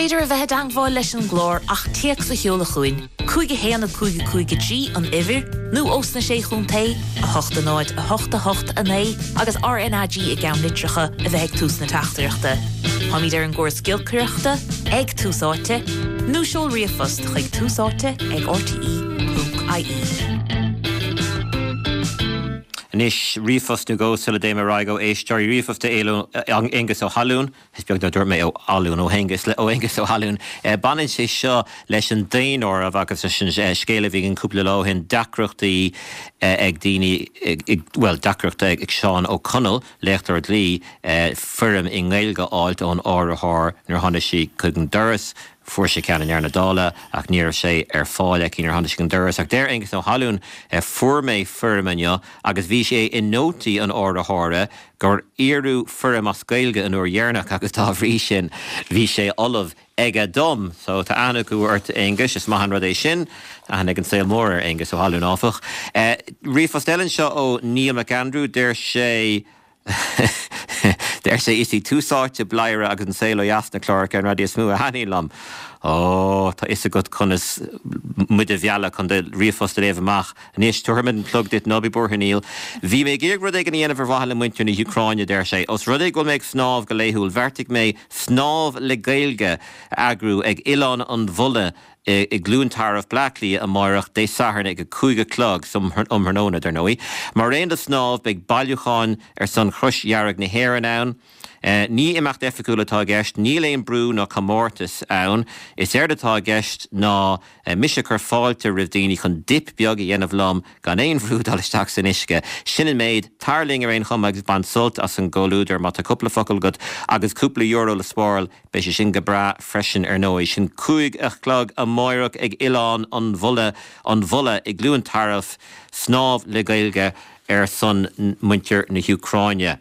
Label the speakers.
Speaker 1: féidir a bheith i dteangmháil leis an gclár ach téacs a sheoladh chugainn, 5 1 5 5 3 an uimhir, nó ós na Sé Chontae, 8 0 8 8 9 agus RnaG i gceannlitreacha a bheith ag tús na teachtaireachta. Táimid ar an gcóras giolcaireachta, ag Tús Áite, nó seol ríomhphost chuig túsáite ag rte.ie.
Speaker 2: Anois, ríomhphost nó dhó sula dtéim ar aghaidh ó éisteoirí. Ríomhphost ó Aonghus Ó hAllúin. Is beag nár dúirt mé Ó Alún, ó Aonghus, ó Aonghus Ó hAllúin. Baineann sé seo leis an daonáireamh agus leis an scéal a bhí againn cúpla lá ó shin, deacrachtaí ag daoine, bhuel, deacracht ag Seán Ó Conaill, léachtóir dlí, foirm i nGaeilge a fháilt ón áiritheoir nuair a tháinig sí chuig an doras. Fuair sé ceann i ndeireadh na dála ach ní raibh sé ar fáil aici nuair a tháinig sí chuig an doras. Ach deir Aengus Ó hAllúin, Fuair mé foirm inniu agus bhí sé i nótaí an áiritheora gur iarradh foirm as Gaeilge an uair dheireanach agus dá bhrí sin bhí sé ullamh aige dom. So tá aithne acu ort a Aonghuis, is maith an rud é sin. Tá aithne ag an saol mór ar Aengus Ó hAllúin áfach. Ríomhphost eile anseo ó Neil McAndrew, deir sé, Deir sé, Is í Tús Áite, Bladhaire agus An Saol Ó Dheas na cláracha ar an raidió is mó a thaitníonn liom. Ó, tá fhios agat conas muid a mhealladh chun do ríomhphost a léamh amach. Anois, tabharfaimid an clog duit, ná bí buartha, Neil. Bhí mé ag iarraidh rud éigin a dhéanamh ar mhaithe le muintir na hÚcráine, a deir sé. Os rud é go bhfuil mé ag snámh go laethúil, bheartaigh mé Snámh le Gaeilge a eagrú ag Oileán an Bhulla i gCluain Tarbh, Bleá Cliath amáireach, Dé Sathairn ag 5 a chlog, um thráthnóna, dar ndóigh. Mar aon le snámh, beidh bailiúcháin ar son Chrois Dhearg na hÉireann ann. Ní imeacht oifigiúil atá i gceist, níl aon brú ná comórtas ann. Is éard atá i gceist ná mise ag cur fáilte roimh daoine chun dip beag a dhéanamh liom gan aon bhrú dul isteach san uisce. Sin an méid. Tar linn ar aon chuma agus bain sult as an gcomhluadar má tá cúpla focal agat agus cúpla euro le spáráil. Beidh sé sin go breá freisin ar ndóigh. Sin 5 a chlog amáireach ag Oileán an Bhulla, an Bhulla i gCluain Tarbh, snámh le Gaeilge ar son muintir na hÚcráine.